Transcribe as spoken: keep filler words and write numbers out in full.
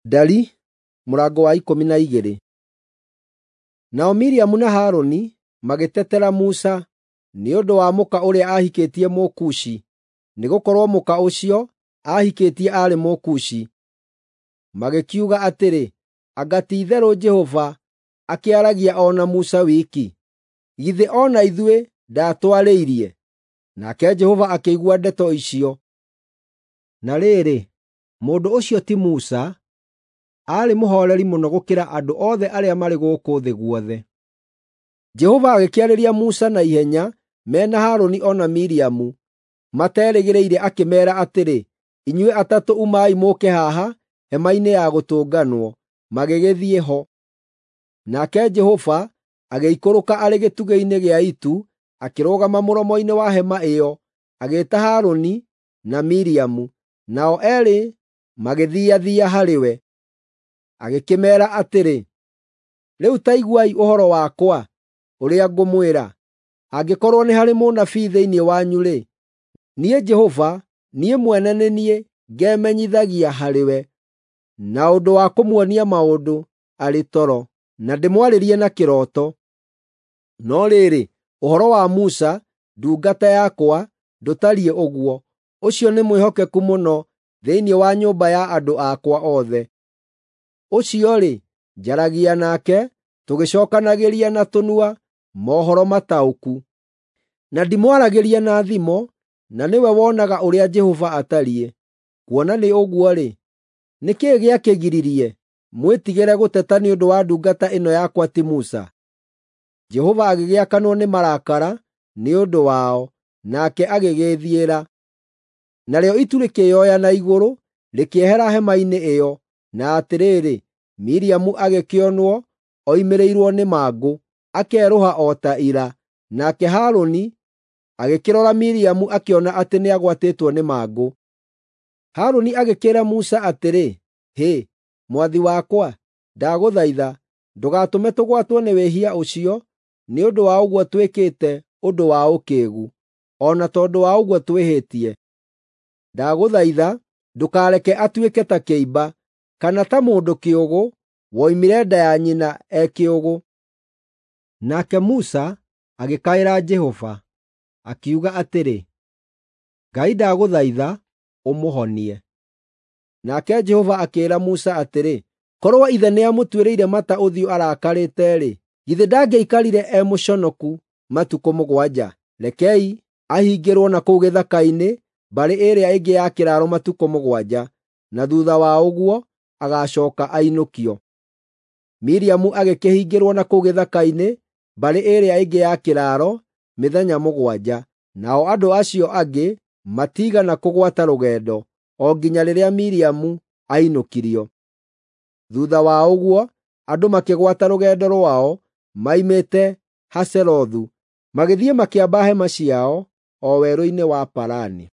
Ndari mũrango wa ikũmi na igĩrĩ. Nao Miriamu na Harũni magĩtetera Musa nĩ ũndũ wa mũka ũrĩa aahikĩtie Mũkushi, nĩgũkorwo mũka ũcio aahikĩtie aarĩ Mũkushi. Magĩkiuga atĩrĩ, “Anga ti-itherũ Jehova akĩaragia o na Musa wiki? Githĩ o na ithuĩ ndaatwarĩirie?” Nake Jehova akĩigua ndeto icio. Na rĩrĩ, mũndũ ũcio ti Musa, aarĩ mũhooreri mũno gũkĩra andũ othe arĩa marĩ gũkũ thĩ guothe. Jehova agĩkĩarĩria Musa na ihenya me na Harũni o na Miriamu materĩgĩrĩire akĩmeera atĩrĩ, “Inyuĩ atatũ umai mũũke haha hema-inĩ ya gũtũnganwo.” Magĩgĩthiĩ ho. Nake Jehova agĩikũrũka arĩ gĩtugĩ-inĩ gĩa itu akĩrũgama mũromo-inĩ wa hema ĩyo, agĩĩta Harũni na Miriamu, nao eerĩ magĩthiathia harĩ we. Agĩkĩmeera atĩrĩ, “Rĩu ta iguai ũhoro wakwa ũrĩa ngũmwĩra. Angĩkorwo nĩ harĩ mũnabii thĩinĩ wanyu-rĩ, niĩ Jehova, niĩ mwene nĩ niĩ ngemenyithagia harĩ we na ũndũ wa kũmuonia maũndũ arĩ toro, na ndĩmwarĩrie na kĩroto. No rĩrĩ, ũhoro wa Musa, ndungata yakwa, ndũtariĩ ũguo; ũcio nĩ mwĩhokeku mũno thĩinĩ wa nyũmba ya andũ akwa othe. Ũcio-rĩ, njaragia nake tũgĩcookanagĩria na tũnua mohoro mataũku, na ndimwaragĩria na thimo, na nĩwe wonaga ũrĩa Jehova atariĩ. Kuona nĩ ũguo-rĩ, nĩ kĩĩ gĩakĩgiririe mwĩtigĩre gũteta nĩ ũndũ wa ndungata ĩno yakwa ti Musa?” Jehova agĩgĩakanwo nĩ marakara nĩ ũndũ wao, nake agĩgĩĩthiĩra. Narĩo itu rĩkĩĩoya na igũrũ, rĩkĩehera hema-inĩ ĩyo, na atĩrĩrĩ, Miriamu agĩkĩonwo oimĩrĩirwo nĩ mangũ, akerũha o ta ira. Nake Harũni agĩkĩrora Miriamu akĩona atĩ nĩagwatĩtwo nĩ mangũ. Harũni agĩkĩĩra Musa atĩrĩ, “Hĩ, mwathi wakwa, ndagũthaitha ndũgatũme tũgwatwo nĩ wĩhia ũcio nĩ ũndũ wa ũguo twĩkĩte ũndũ wa ũkĩĩgu, o na tondũ wa ũguo twĩhĩtie. Ndagũthaitha ndũkareke atuĩke ta kĩimba, kana ta mũndũ kĩũgũ woimire nda ya nyina e kĩũgũ.” Nake Musa agĩkaĩra Jehova, akiuga atĩrĩ, “Ngai ndagũthaitha ũmũhonie.” Nake Jehova akĩĩra Musa atĩrĩ, “Korwo ithe nĩamũtuĩrĩire mata ũthiũ arakarĩte-rĩ, githĩ ndangĩaikarire e mũconoku matukũ mũgwanja? Rekei ahingĩrwo na kũu gĩthaka-inĩ mbarĩ ĩrĩa ĩngĩ ya kĩraaro matukũ mũgwanja, na thuutha wa ũguo agaacooka ainũkio.” Miriamu agĩkĩhingĩrwo na kũu gĩthaka-inĩ mbarĩ ĩrĩa ĩngĩ ya kĩraaro mĩthenya mũgwanja, nao andũ acio angĩ matiigana kũgwata rũgendo, o nginya rĩrĩa Miriamu ainũkirio. Thuutha wa ũguo andũ makĩgwata rũgendo rwao moimĩte Haserothu, magĩthiĩ makĩamba hema ciao o werũ-inĩ wa Parani.